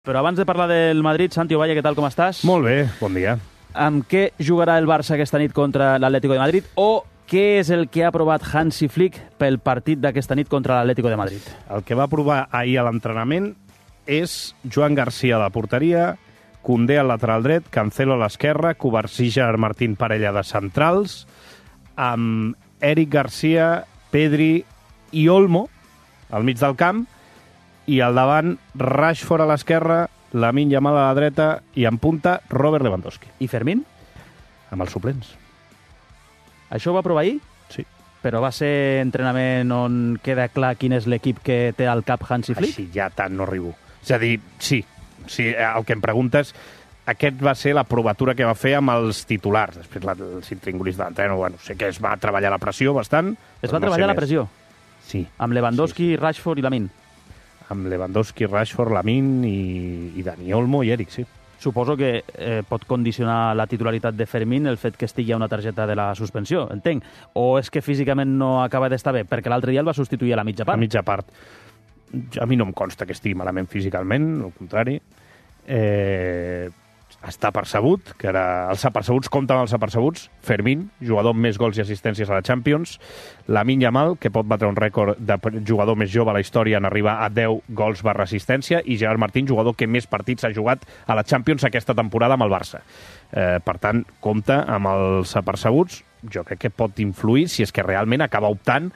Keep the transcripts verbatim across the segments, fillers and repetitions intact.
Però abans de parlar del Madrid, Santi Ovalle, què tal, com estàs? Molt bé, bon dia. Amb què jugarà el Barça aquesta nit contra l'Atlético de Madrid? O què és el que ha provat Hansi Flick pel partit d'aquesta nit contra l'Atlético de Madrid? El que va provar ahir a l'entrenament és Joan Garcia a la porteria, Koundé al lateral dret, Cancelo a l'esquerra, Covarsí, Gerard Martín, parella de centrals, amb Eric Garcia, Pedri i Olmo al mig del camp, i al davant Rashford a l'esquerra, Lamine Yamal a la dreta i en punta Robert Lewandowski. I Fermín? Amb els suplents. Això ho va provar ahir? Sí. Però va ser entrenament on queda clar quin és l'equip que té al cap Hansi Flick? Així ja tant no arribo. És a dir, sí, sí, el que em preguntes, aquest va ser la provatura que va fer amb els titulars. Després la, el Cintringulis d'entreno, bueno, sé que es va treballar la pressió bastant. Es va no treballar la pressió? Sí. Amb Lewandowski, sí, sí. Rashford i Lamine? Amb Lewandowski, Rashford, Lamine i, i Dani Olmo i Eric, sí. Suposo que eh, pot condicionar la titularitat de Fermín el fet que estigui a una targeta de la suspensió, entenc. O és que físicament no acaba d'estar bé? Perquè l'altre dia el va substituir a la mitja part. A mitja part. A mi no em consta que estigui malament físicament, al contrari. Eh, està percebut, que era els apercebuts compten els apercebuts. Fermín, jugador amb més gols i assistències a la Champions. Lamine Yamal, que pot batre un rècord de jugador més jove a la història en arribar a deu gols barra assistència, i Gerard Martín, jugador que més partits ha jugat a la Champions aquesta temporada amb el Barça. Eh, per tant, compta amb els apercebuts. Jo crec que pot influir si és que realment acaba optant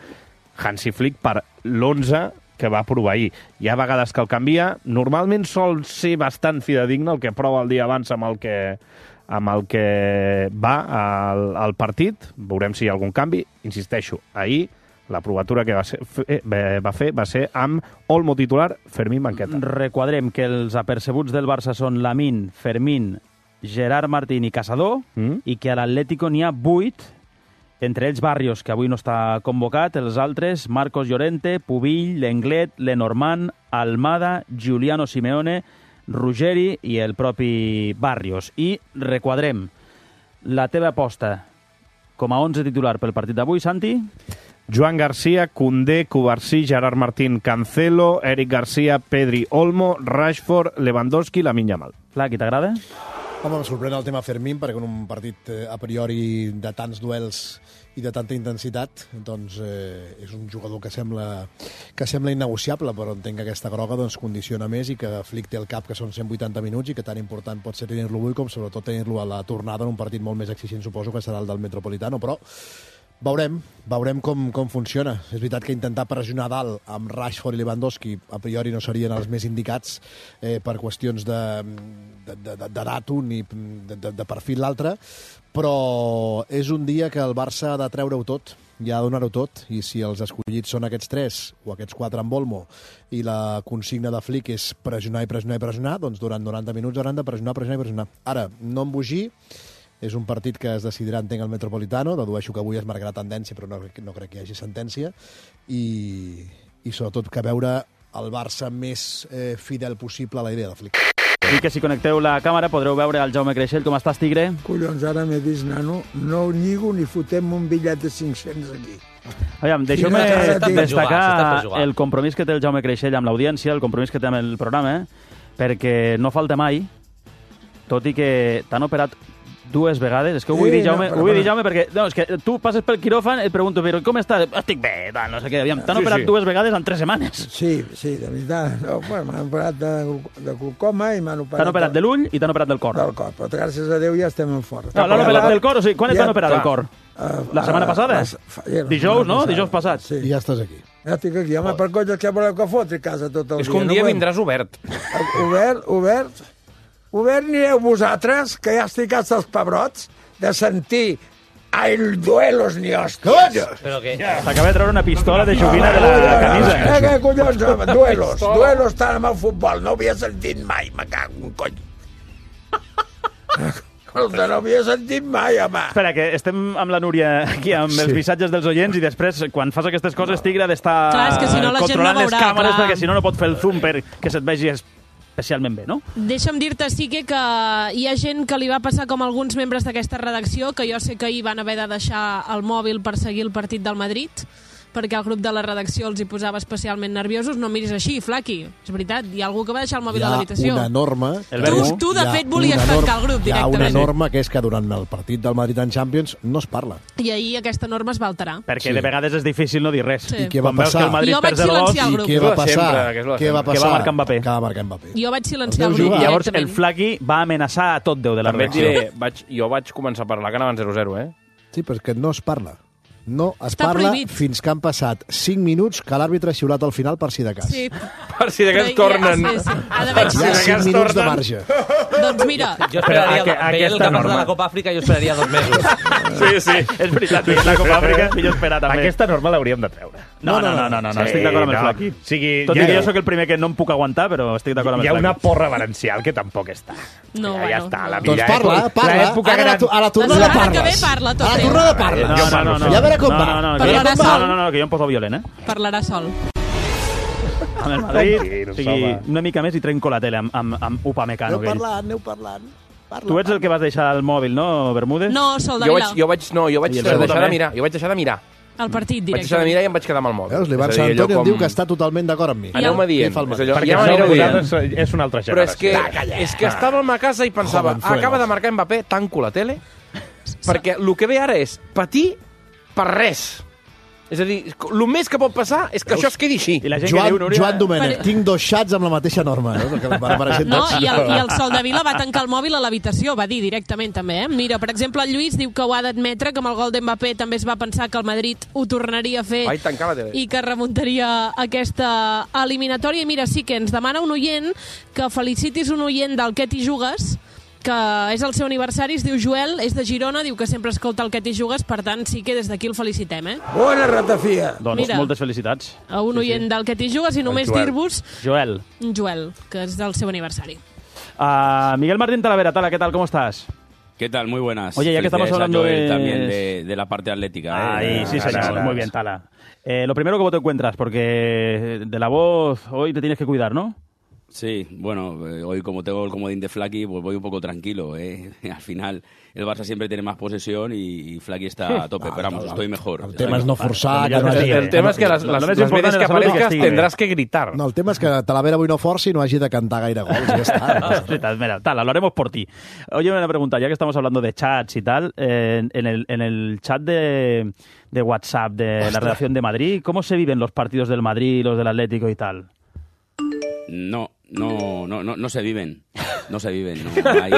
Hansi Flick per l'onze que va provar ahir. Hi ha vegades que el canvia. Normalment sol ser bastant fidedigne el que prova el dia abans amb el que, amb el que va al, al partit. Veurem si hi ha algun canvi. Insisteixo, ahir la provatura que va, ser, va fer va ser amb Olmo titular, Fermín banqueta. Requadrem que els apercebuts del Barça són Lamine, Fermín, Gerard Martín i Caçador, mm? i que a l'Atlético n'hi ha vuit, entre ells Barrios, que avui no està convocat, els altres, Marcos Llorente, Pubill, Lenglet, Lenormand, Almada, Giuliano Simeone, Ruggeri i el propi Barrios. I requadrem la teva aposta com a onze titular pel partit d'avui, Santi? Joan Garcia, Koundé, Covarsí, Gerard Martín, Cancelo, Eric Garcia, Pedri, Olmo, Rashford, Lewandowski, Lamine Yamal. Clar, qui t'agrada? Home, em sorprèn el tema Fermín, perquè en un partit eh, a priori de tants duels i de tanta intensitat, doncs eh, és un jugador que sembla, que sembla innegociable, però entenc que aquesta groga doncs, condiciona més i que Flick té el cap que són cent vuitanta minuts i que tan important pot ser tenir-lo avui com sobretot tenir-lo a la tornada en un partit molt més exigent, suposo que serà el del Metropolitano, però veurem, veurem com, com funciona. És veritat que intentar pressionar dalt amb Rashford i Lewandowski a priori no serien els més indicats eh, per qüestions de, de, de, de, de dato ni de, de, de perfil l'altre, però és un dia que el Barça ha de treure-ho tot, i ha de donar-ho tot, i si els escollits són aquests tres o aquests quatre amb Olmo i la consigna de Flick és pressionar i pressionar i pressionar, doncs durant noranta minuts hauran de pressionar, pressionar i pressionar. Ara, no embogir. És un partit que es decidirà, entenc, al Metropolitano. Dedueixo que avui es marcarà tendència, però no, no crec que hi hagi sentència. I, i sobretot que veure el Barça més eh, fidel possible a la idea de Flick. I que si connecteu la càmera podreu veure el Jaume Creixell. Com estàs, Tigre? Collons, ara m'he vist, nano. No ho lligo ni fotem un bitllet de cinc-cents aquí. Aviam, deixeu-me destacar el compromís que té el Jaume Creixell amb l'audiència, el compromís que té amb el programa, perquè no falta mai, tot i que t'han operat dues vegades. És que ho vull dir, Jaume, ho vull dir, Jaume, perquè no, és que tu passes pel quiròfan i et pregunto, però com estàs? Estic bé, tal, no sé què. T'han sí, operat sí. dues vegades en tres setmanes. Sí, sí, de veritat. No, bueno, m'han operat de, de glaucoma i m'han operat... T'han operat de l'ull i t'han operat del cor. Del cor, però gràcies a Déu ja estem en fort. No, l'han operat del cor, o sigui, quan et van operar del cor? La setmana passada? Dijous, no? Dijous passat. Sí. I ja estàs aquí. Ja estic aquí. Home, per coll, que voleu que fotri casa tot el dia. És que un dia vindràs obert. Obert, obert... Obert anireu vosaltres, que ja estic hasta els pebrots, de sentir el duelos ni hòsties. Però què? S'acaba de treure una pistola de joguina de la camisa. Eh, què collons, duelos, duelos tant amb el futbol, no havia sentit mai, me cago un cony. Escolta, no havia sentit mai, home. Espera, que estem amb la Núria aquí, amb els missatges dels oients, i després, quan fas aquestes coses, Tigre, d'estar si no, controlant no les càmeres, clar. Perquè si no, no pot fer el zoom per que se't vegi especialment bé, no? Deixa'm dir-te, sí que, que hi ha gent que li va passar com alguns membres d'aquesta redacció, que jo sé que ahir van haver de deixar el mòbil per seguir el partit del Madrid, perquè el grup de la redacció els hi posava especialment nerviosos. No miris així, Flaqui. És veritat, hi ha algú que va deixar el mòbil hi a l'habitació. Hi ha una norma... Tu, tu, de fet, volies tancar el grup directament. Hi ha una norma que és que durant el partit del Madrid en Champions no es parla. I ahir aquesta norma es va alterar. Perquè Sí. de vegades és difícil no dir res. Sí. I què va Quan veus passar? que el Madrid Jo vaig perd el gol, silenciar el I grup. què És va lo de passar? sempre, que és lo de Què va sempre. passar? Que va marcar Mbappé. Que va marcar Mbappé. Jo vaig silenciar El el teu grup jugar. Llavors el directament. Flaqui va amenaçar a tot Déu de la També et redacció. diré, vaig, jo vaig començar a parlar que anaven zero zero, eh? Sí, però és que no es parla. No es Està parla prohibit. fins que han passat cinc minuts que l'àrbitre ha xiulat al final per si de cas. Sí. Per si de Però cas hi ha- tornen. sí, sí. Ha d'haver- Hi ha cinc minuts de marge. Doncs mira, Jo esperaria, Però, veient aquesta el que passa norma- a la Copa Àfrica, jo esperaria dos mesos. Sí, sí. És veritat, la Copa Àfrica és millor esperar també. Aquesta norma l'hauríem de treure. No, no, no, no, no, no, estic d'acord amb el no. Flaqui. O sigui, Tot ja- i que jo sóc el primer que no em puc aguantar, però estic d'acord amb Hi el ha una Flaqui. porra valencial que tampoc està. No, ja, bueno, ja està. La no. Doncs millor parla, època- parla. l'època Ara a la, gran- tu- a la La tornada setmana que parles. ve parla tot, A la eh? tornada parles. No, no, no, no. Ja a veure com no, va. no, no, A veure Parlarà com no, va. sol. no, no, que jo em poso violent, eh? parlarà sol. Amb el Madrid, Tranquil, o sigui, home. una mica més i trenco la tele amb, amb, amb Upamecano. Aneu aquell. parlant, aneu parlant. Parla, Tu ets el que vas deixar el mòbil, no, Bermúdez? No, Sol de Jo Vila. vaig, jo vaig, no, jo vaig I el deixar segon de també. mirar. Jo vaig deixar de mirar. El partit, Vaig deixar de directament. mirar i em vaig quedar amb el mòbil. Veus, l'Ivan És a dir, allò Santoni em com- diu que està totalment d'acord amb mi. Aneu-me dient. Què fa el És Madrid? allò, Perquè ja això m'anireu dient. vosaltres És, és una altra Però generació. és que, és que estàvem a casa i pensava, Jovenzuelos. acaba de marcar Mbappé, tanco la tele, perquè el que ve ara és patir per res. És a dir, el més que pot passar és que això es quedi així. I la gent Joan, que diu, Núria... Joan Domènech, Per- tinc dos xats amb la mateixa norma. No, Perquè m'apareixen No, tots. i el, i el Sol de Vila va tancar el mòbil a l'habitació, va dir directament també, eh? Mira, per exemple, el Lluís diu que ho ha d'admetre, que amb el gol d'Mbappé també es va pensar que el Madrid ho tornaria a fer Vaig tancar la tele. i que remuntaria aquesta eliminatòria. I mira, sí que ens demana un oient que felicitis un oient del Què t'hi jugues, que és el seu aniversari, es diu Joel, és de Girona, diu que sempre escolta el Què t'hi jugues, per tant, sí que des d'aquí el felicitem, eh? Bona ratafia. Doncs Mira. moltes felicitats. A un oient del Què t'hi jugues i només Joel. dir-vos Joel. Joel, que és del seu aniversari. Uh, Miguel Martín Talavera, Tala, ¿qué tal? ¿Cómo estás? ¿Qué tal? Muy buenas. Oye, ya que estamos Felicidades a hablando Joel de- también de, de la parte atlética. Ahí, ¿eh? sí, señor. gracias. Muy bien, Tala. Eh, lo primero, ¿cómo te encuentras? Porque de la voz hoy te tienes que cuidar, ¿no? Sí, bueno, eh, hoy como tengo el comodín de Flaqui, pues voy un poco tranquilo. ¿eh? Al final, el Barça siempre tiene más posesión y, y Flaqui está a tope. Pero vamos, estoy mejor. El estoy tema és no mejor. forçar. Ja Que no està hagi... bien. El tema és que les, Lo les, més les important veces és que la salut i que aparezcas estigui bé. tendrás que gritar. No, el tema és que Talavera avui no forci i no hagi de cantar gaire gols. Ja està. No passa res. Mira, Tala, lo haremos por ti. Oye, una pregunta, ya que estamos hablando de chats y tal, eh, en, el, en el chat de, de WhatsApp de la redacción de Madrid, ¿cómo se viven los partidos del Madrid, los del Atlético y tal? No, no, no, no, no se viven. No se viven. No. Hay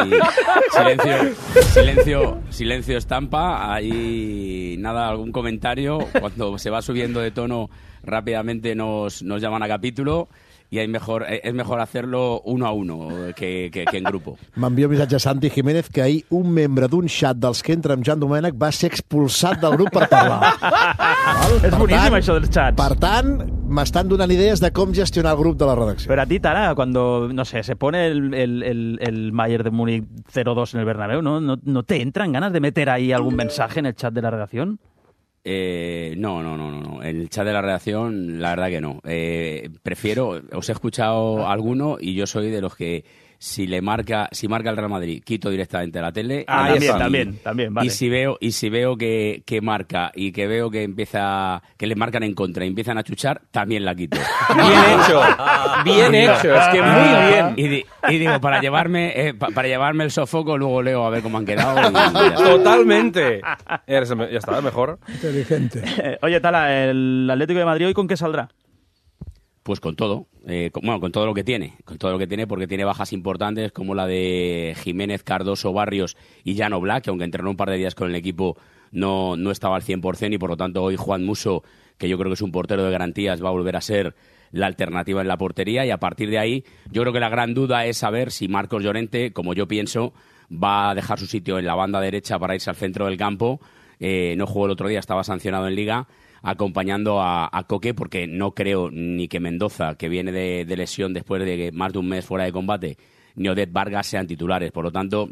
silencio, silencio, silencio estampa. Hay nada, algún comentario. Cuando se va subiendo de tono, rápidamente nos, nos llaman a capítulo. Y hay mejor, es mejor hacerlo uno a uno que, que, que en grupo. M'envia un missatge a Santi Jiménez que ahir un membre d'un xat dels que entra amb Jan Domènech va ser expulsat del grup per parlar. Val? És Per boníssim, tant- això dels xats. Per tant, m'estan donant idees de com gestionar el grup de la redacció. Pero a ti, Tala, cuando, no sé, se pone el, el, el, el Bayern de Múnich cero dos en el Bernabéu, ¿no? ¿no? ¿No te entran ganas de meter ahí algún mensaje en el chat de la redacción? Eh, no, no, no, no, no. El chat de la redacción, la verdad que no. Eh, prefiero, os he escuchado alguno y yo soy de los que si le marca, si marca el Real Madrid, quito directamente la tele. Ah, Y- también, y- también, también, vale. Y si veo, y si veo que, que marca y que veo que empieza, que le marcan en contra y empiezan a chuchar, también la quito. Bien hecho. Bien hecho. Es que muy bien. Y, di- y digo, para llevarme, eh, pa- para llevarme el sofoco, luego leo a ver cómo han quedado. y ya está. Totalmente. Eres el me- ya está, mejor. Inteligente. Eh, oye, Tala, ¿el Atlético de Madrid hoy con qué saldrá? Pues con todo, eh, con, bueno, con todo lo que tiene, con todo lo que tiene, porque tiene bajas importantes como la de Jiménez, Cardoso, Barrios y Jan Oblak, que aunque entrenó un par de días con el equipo no, no estaba al cien por ciento y por lo tanto hoy Juan Musso, que yo creo que es un portero de garantías, va a volver a ser la alternativa en la portería y a partir de ahí yo creo que la gran duda es saber si Marcos Llorente, como yo pienso, va a dejar su sitio en la banda derecha para irse al centro del campo. Eh, no jugó el otro día, estaba sancionado en Liga, acompañando a, a Coque, porque no creo ni que Mendoza, que viene de, de lesión después de más de un mes fuera de combate, ni Odette Vargas sean titulares. Por lo tanto,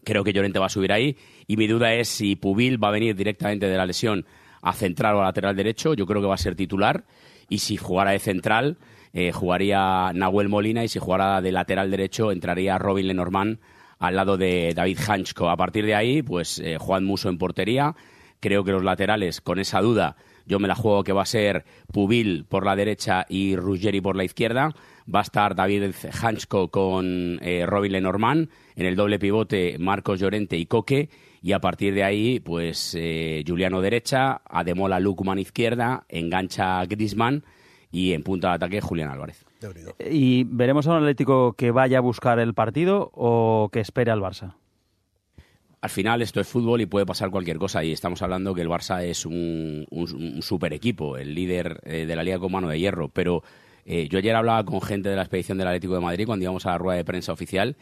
creo que Llorente va a subir ahí y mi duda es si Pubil va a venir directamente de la lesión a central o a lateral derecho. Yo creo que va a ser titular y si jugara de central eh, jugaría Nahuel Molina y si jugara de lateral derecho entraría Robin Lenormand al lado de David Hanchko. A partir de ahí, pues eh, Juan Musso en portería. Creo que los laterales, con esa duda, yo me la juego que va a ser Pubil por la derecha y Ruggeri por la izquierda. Va a estar David Hansko con eh, Robin Lenormand, en el doble pivote Marcos Llorente y Coque, y a partir de ahí, pues eh, Juliano derecha, Ademola Lukman izquierda, engancha Griezmann y en punta de ataque Julián Álvarez. ¿Y veremos a un Atlético que vaya a buscar el partido o que espere al Barça? Al final esto es fútbol y puede pasar cualquier cosa, y estamos hablando que el Barça es un, un, un super equipo, el líder eh, de la Liga con mano de hierro, pero eh, yo ayer hablaba con gente de la expedición del Atlético de Madrid cuando íbamos a la rueda de prensa oficial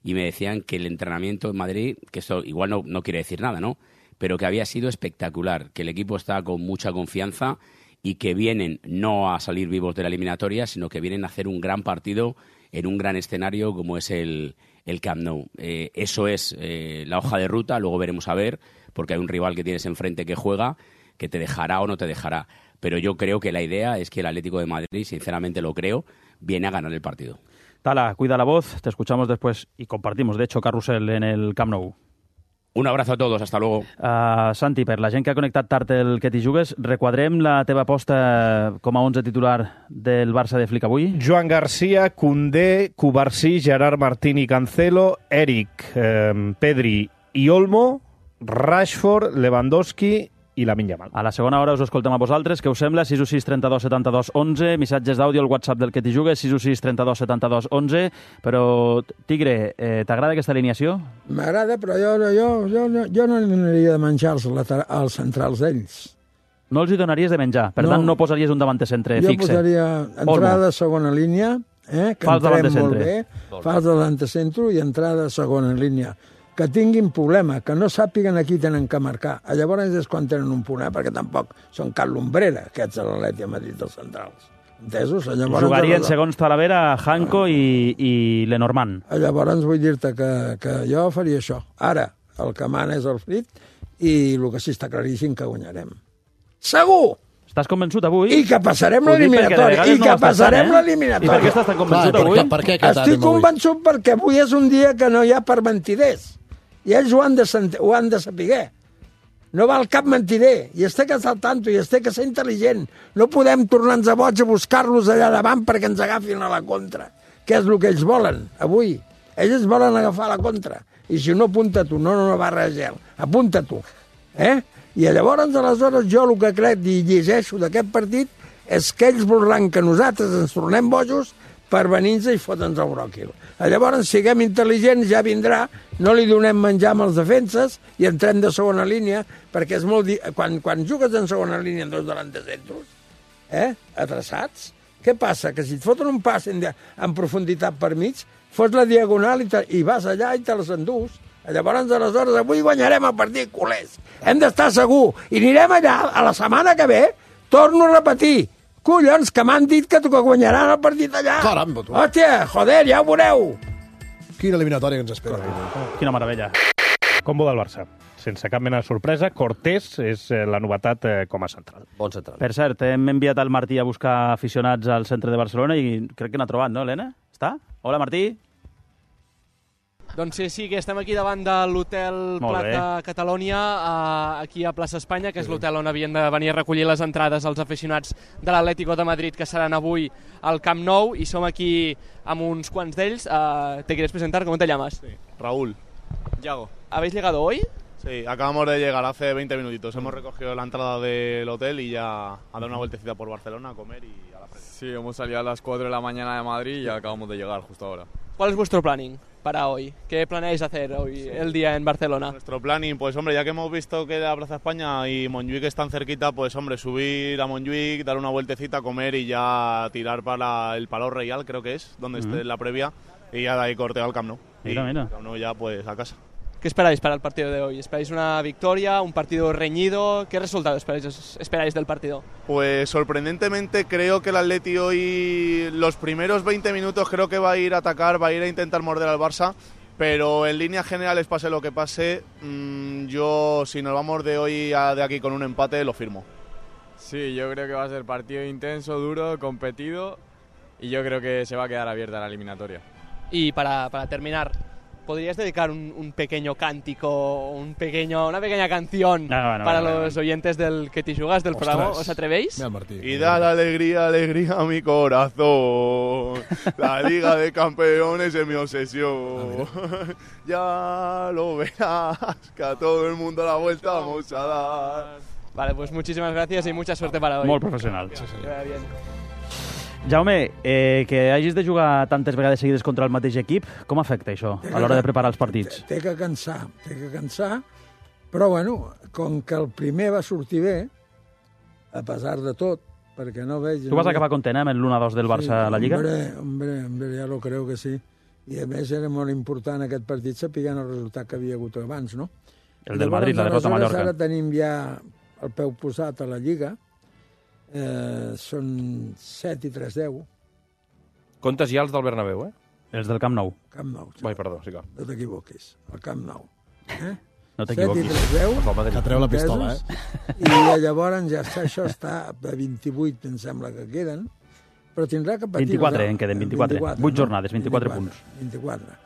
y me decían que el entrenamiento en Madrid, que esto igual no, no quiere decir nada, ¿no?, pero que había sido espectacular, que el equipo está con mucha confianza y que vienen no a salir vivos de la eliminatoria, sino que vienen a hacer un gran partido en un gran escenario como es el, el Camp Nou. Eh, eso es eh, la hoja de ruta, luego veremos a ver, porque hay un rival que tienes enfrente que juega, que te dejará o no te dejará. Pero yo creo que la idea es que el Atlético de Madrid, sinceramente lo creo, viene a ganar el partido. Tala, cuida la voz, te escuchamos después y compartimos, de hecho, carrusel en el Camp Nou. Un abrazo a todos, hasta luego. Uh, Santi, per la gent que ha connectat tard el que t'hi jugues, requadrem la teva aposta com a onze titular del Barça de Flick avui? Joan García, Koundé, Cubarsí, Gerard Martín i Cancelo, Eric, eh, Pedri i Olmo, Rashford, Lewandowski i Lamine Yamal. A la segona hora us escoltem a vosaltres. Què us sembla? sis u sis trenta-dos setanta-dos onze. Missatges d'àudio al WhatsApp del que t'hi jugues, sis u sis trenta-dos setanta-dos onze. Però, Tigre, eh, t'agrada aquesta alineació? M'agrada, però jo, jo, jo, jo, jo no aniria de menjar els, later... els centrals d'ells. No els hi donaries de menjar. Per no. tant, no posaries un davanter centre jo fixe. Jo posaria entrada a segona línia, eh, que fals entrem molt bé, fals davant centre i entrada a segona línia. Que tinguin problema, que no sàpiguen a qui tenen que marcar. Llavors és quan tenen un punt, eh? Perquè tampoc són cap lumbrera, aquests de l'Atleti de Madrid dels centrals. Entesos? Llavors, jugarien, segons Talavera, Hanko i, i Lenormand. Llavors vull dir-te que, que jo faria això. Ara, el que mana és el Flick i el que sí està claríssim que guanyarem. Segur! Estàs convençut avui? I que passarem l'eliminatòria. I que no passarem eh? l'eliminatòria. I per què estàs tan convençut Clar, avui? Per, per què aquest Estic convençut perquè avui és un dia que no hi ha per mentiders. I ells ho han de, ho han de saber. No val cap mentider. I es té que estar al tanto, i es té que ser intel·ligent. No podem tornar-nos a boig a buscar-los allà davant perquè ens agafin a la contra. Que és el que ells volen, avui. Ells volen agafar la contra. I si no, apunta tu. No, no, no, barra de gel. Apunta tu. Eh? I llavors, aleshores, jo el que crec i llegeixo d'aquest partit és que ells voldran que nosaltres ens tornem bojos per venir-nos i fotre'ns el bròquil. Llavors, siguem intel·ligents, ja vindrà, no li donem menjar amb els defenses i entrem de segona línia, perquè és molt... Di... Quan, quan jugues en segona línia en dos delanters centros, eh, adreçats, què passa? Que si et foten un pas en, en profunditat per mig, fots la diagonal i, te, i vas allà i te les endús. Llavors, aleshores, avui guanyarem el partit, culers. Hem d'estar segur. I anirem allà, a la setmana que ve, torno a repetir. Collons, que m'han dit que, que guanyaran el partit allà. Caramba, tu. Hòstia, joder, ja ho veureu. Quina eliminatòria que ens espera. Quina meravella. Combo del Barça. Sense cap mena de sorpresa, Cortés és la novetat eh, com a central. Bon central. Per cert, hem enviat el Martí a buscar aficionats al centre de Barcelona i crec que n'ha trobat, no, Helena? Està? Hola, Martí. Doncs sí, sí, que estem aquí davant de l'hotel Plata Catalònia, uh, aquí a Plaça Espanya, que és l'hotel on havien de venir a recollir les entrades als aficionats de l'Atlético de Madrid, que seran avui al Camp Nou, y som aquí amb uns quants d'ells. Uh, ¿Te quieres presentar? ¿Cómo te llamas? Sí, Raúl. Yago. ¿Habéis llegado hoy? Sí, acabamos de llegar hace veinte minutitos. Hemos recogido la entrada del hotel y ya a dar una vueltecita por Barcelona, a comer y a la feria. Sí, hemos salido a las cuatro de la mañana de Madrid y acabamos de llegar justo ahora. ¿Cuál es vuestro planning para hoy? ¿Qué planeáis hacer hoy, sí, el día en Barcelona? Nuestro planning, pues hombre, ya que hemos visto que la Plaza España y Montjuic están cerquita, pues hombre, subir a Montjuic, dar una vueltecita, comer y ya tirar para el Palau Real, creo que es, donde uh-huh. esté la previa, y ya de ahí corteo al Camp Nou. Mira, y mira. Camp Nou ya pues a casa. ¿Qué esperáis para el partido de hoy? ¿Esperáis una victoria, un partido reñido? ¿Qué resultado esperáis, esperáis del partido? Pues sorprendentemente creo que el Atleti hoy, los primeros veinte minutos creo que va a ir a atacar, va a ir a intentar morder al Barça, pero en líneas generales, pase lo que pase, mmm, yo si nos vamos de hoy a de aquí con un empate, lo firmo. Sí, yo creo que va a ser partido intenso, duro, competido, y yo creo que se va a quedar abierta la eliminatoria. Y para, para terminar, ¿podrías dedicar un, un pequeño cántico, un pequeño, una pequeña canción no, no, no, para no, no, no. los oyentes del Que T'hi Jugues del programa? ¿Os atrevéis? Mira, Martí. Y da la alegría, alegría a mi corazón. La Liga de Campeones es mi obsesión. Ya lo verás, que a todo el mundo la vuelta vamos a dar. Vale, pues muchísimas gracias y mucha suerte para hoy. Molt professional. Que vaya bien. Jaume, eh, que hagis de jugar tantes vegades seguides contra el mateix equip, com afecta això a l'hora de preparar els partits? Té que cansar, té que cansar, però bueno, com que el primer va sortir bé, a pesar de tot, perquè no veig... Tu vas acabar content amb l'u a dos del Barça a la Lliga? Hombre, hombre, hombre, ja lo creo que sí. I a més era molt important aquest partit sapiguant el resultat que havia hagut abans, no? El del Madrid, la derrota a Mallorca. Ara tenim ja el peu posat a la Lliga, eh, són set i tres deu. Comptes ja els del Bernabéu, eh? Els del Camp Nou. Camp Nou. Vai, perdó, sí que... No t'equivoquis, el Camp Nou. Eh? No t'equivoquis. set i tres deu. Que treu la pistola, eh? I llavors ja està, això està a vint-i-vuit, em sembla que queden, però tindrà que patir... vint-i-quatre, en queden vint-i-quatre. vuit jornades, vint-i-quatre punts. vint-i-quatre.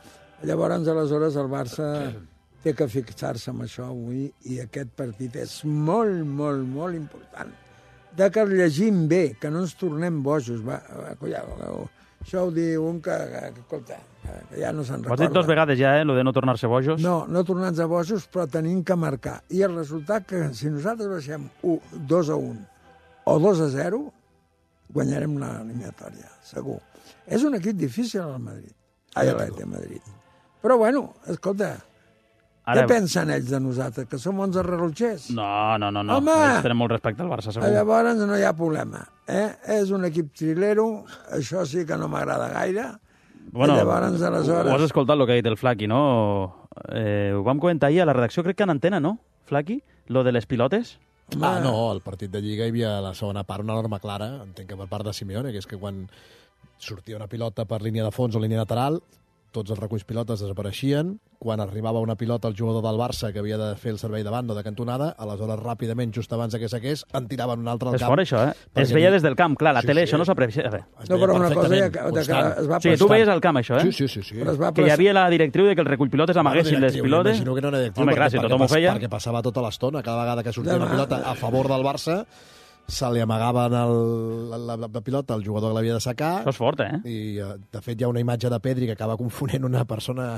Llavors, aleshores, el Barça té que fixar-se en això avui i aquest partit és molt, molt, molt important. De que el llegim bé, que no ens tornem bojos. Va, va, collao, això ho diu un que, que, escolta, que ja no se'n recorda. Ho has dit dos vegades ja, eh, lo de no tornar-se bojos? No, no tornar-nos a bojos, però tenim que marcar. I el resultat que si nosaltres baixem dos a un o dos a zero, guanyarem l'eliminatòria, segur. És un equip difícil al Madrid. Ai, a l'Atlètic de Madrid. Però bueno, escolta, Ara... què pensen ells de nosaltres? Que som onze relotgers? No, no, no. no. Home! Ells tenen molt respecte al Barça, segur. Llavors no hi ha problema. Eh? És un equip trilero, això sí que no m'agrada gaire. Bueno, llavors, aleshores... ho has escoltat el que ha dit el Flaqui, no? Eh, ho vam comentar ahir a la redacció, crec que en antena, no, Flaqui? Lo de les pilotes? Ah, no, al partit de Lliga hi havia a la segona part una norma clara, entenc que per part de Simeone, que és que quan sortia una pilota per línia de fons o línia lateral, tots els reculls pilotes desapareixien. Quan arribava una pilota al jugador del Barça que havia de fer el servei de banda o de cantonada, aleshores ràpidament, just abans que saqués, en tiraven un altre al és camp. fort, això, eh? Es veia des del camp, clar, la sí, tele, sí. això no s'aprecia. No, però una cosa ja, que, que es va sí, tu veies al camp, això, eh? Sí, sí, sí. sí. Que hi havia la directriu de que el recull pilotes amaguessin les pilotes. Imagino que no era directriu, Home, perquè, clar, si perquè, tothom ho feia... perquè passava tota l'estona, cada vegada que sortia una pilota a favor del Barça, se li amagaven el, la, la, la pilota al jugador que l'havia de sacar. Això és fort, eh? I, de fet, hi ha una imatge de Pedri que acaba confonent una persona...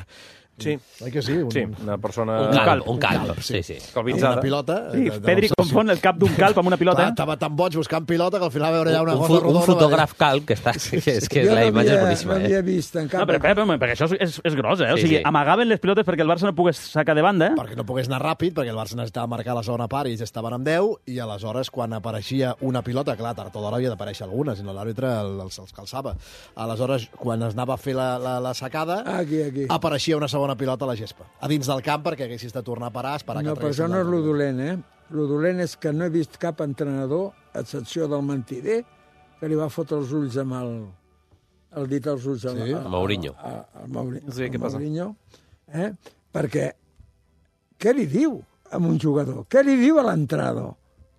Sí. Oi que sí? Un, sí, una persona... Un calp, un calp, un calp sí, sí. Calvitzada. Una pilota... Sí, de, de Pedri confon el cap d'un calp amb una pilota. Clar, estava tan boig buscant pilota que al final va veure ja una un, cosa rodona. Un fotògraf calp, que, està, que és que jo la imatge és boníssima. Jo no havia vist en cap... No, però, però, perquè això és, és gros, eh? O Sí, sigui, sí. amagaven les pilotes perquè el Barça no pogués sacar de banda, eh? Perquè no pogués anar ràpid, perquè el Barça necessitava marcar la segona part i ells estaven amb deu, i aleshores, quan apareixia una pilota, clar, tard o d'hora havia d'aparèixer alguna, si no l'àrbitre els, els calçava. Aleshores, quan es anava a fer la, la, la sacada, Aquí, aquí. apareixia una segona pilota a la gespa, a dins del camp, perquè haguessis de tornar a parar, esperar No, que però això traguessin no és la- lo dolent, eh? Lo dolent és que no he vist cap entrenador, a excepció del mentider, que li va fotre els ulls amb el, el dit als ulls al, Sí? al, Mourinho. al, al, Mauri, Sí, què al passa? Mourinho, eh? Perquè què li diu a un jugador? Què li diu a l'entrenador?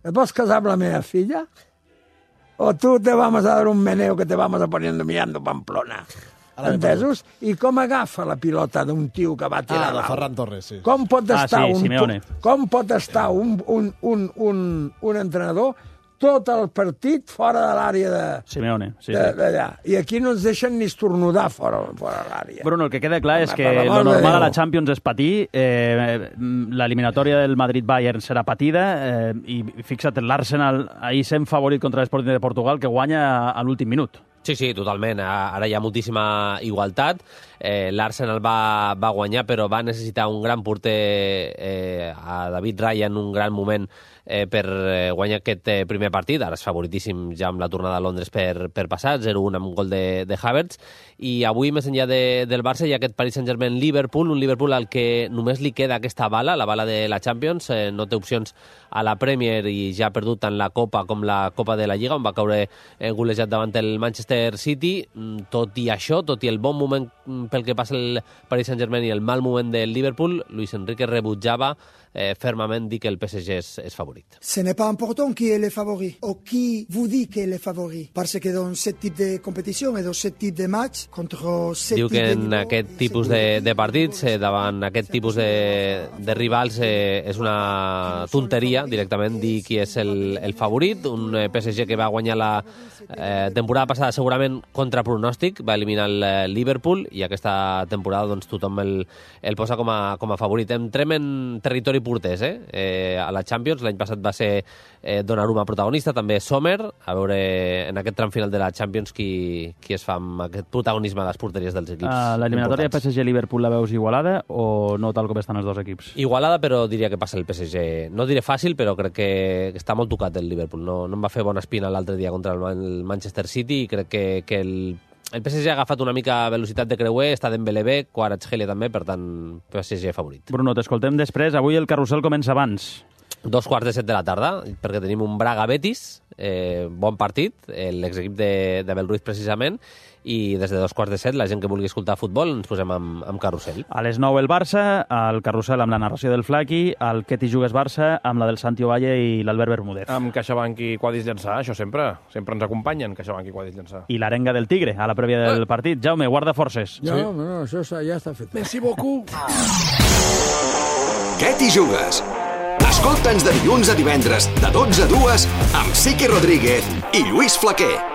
Et vols casar amb la meva filla? O tu te vamos a dar un meneo que te vamos a poniendo mirando Pamplona? Entesos? I com agafa la pilota d'un tio que va tirar Ah, de dalt? Ferran Torres, sí. Com pot Ah, estar, sí, un, Simeone. com pot estar un, un, un, un, un entrenador tot el partit fora de l'àrea de, Simeone, sí, de, sí. d'allà? I aquí no ens deixen ni estornudar fora, fora de l'àrea. Bruno, el que queda clar és Home, que per lo l'amor de normal a la Déu. Champions és patir, eh, l'eliminatòria del Madrid-Bayern serà patida, eh, i fixa't, l'Arsenal ahir sent favorit contra l'Sporting de Portugal, que guanya a l'últim minut. Sí, sí, totalment. Ara hi ha moltíssima igualtat. Eh, L'Arsenal va, va guanyar, però va necessitar un gran porter, eh, a David Raya, en un gran moment eh, per eh, guanyar aquest eh, primer partit. Ara és favoritíssim ja amb la tornada a Londres per, per passar, zero un amb un gol de, de Havertz. I avui, més enllà de, del Barça, hi ha aquest Paris Saint-Germain-Liverpool, un Liverpool al que només li queda aquesta bala, la bala de la Champions. Eh, no té opcions a la Premier i ja ha perdut tant la Copa com la Copa de la Lliga, on va caure eh, golejat davant el Manchester Manchester City. Tot i això, tot i el bon moment pel que passa el Paris Saint-Germain i el mal moment del Liverpool, Luis Enrique rebutjava eh, fermament dir que el P S G és, és favorit. Ce n'est pas important qui est le favori ou qui vous dit qui est le favori, parce que dans ce type de compétition et dans ce type de match contre ce Diu type que de en niveau, aquest tipus de, de partits, eh, davant aquest tipus de, de rivals, eh, és una tonteria directament dir qui és el, el favorit. Un eh, P S G que va guanyar la eh, temporada passada segurament contra pronòstic, va eliminar el eh, Liverpool, i aquesta temporada doncs, tothom el, el posa com a, com a favorit. Entrem en territori porters, eh? eh? A la Champions, l'any passat va ser eh, Donnarumma protagonista, també Sommer, a veure en aquest tram final de la Champions qui, qui es fa amb aquest protagonisme a les porteries dels equips. Uh, L'eliminatòria P S G-Liverpool la veus igualada o no tal com estan els dos equips? Igualada, però diria que passa el P S G. No diré fàcil, però crec que està molt tocat el Liverpool. No, no em va fer bona espina l'altre dia contra el Manchester City, i crec que, que el El P S G ha agafat una mica velocitat de creuer, està Dembélé bé, Kvaratskhelia també, per tant, P S G favorit. Bruno, t'escoltem després. Avui el carrusel comença abans. Dos quarts de set de la tarda, perquè tenim un Braga-Betis, eh, bon partit, l'exequip de, de Belruiz precisament, i des de dos quarts de set, la gent que vulgui escoltar futbol, ens posem amb, amb carrusel. A les nou el Barça, el carrusel amb la narració del Flaqui, el Què t'hi jugues Barça amb la del Santi Ovalle i l'Albert Bermúdez. Amb CaixaBank i Quadis Llançà, això sempre. Sempre ens acompanyen, CaixaBank i Quadis Llançà. I l'arenga del Tigre, a la prèvia del partit. Jaume, guarda forces. No, sí. no, això ja està fet. Merci beaucoup. Què t'hi jugues? Escolta'ns de dilluns a divendres, de dotze a dues, amb Siqui Rodríguez i Lluís Flaquer.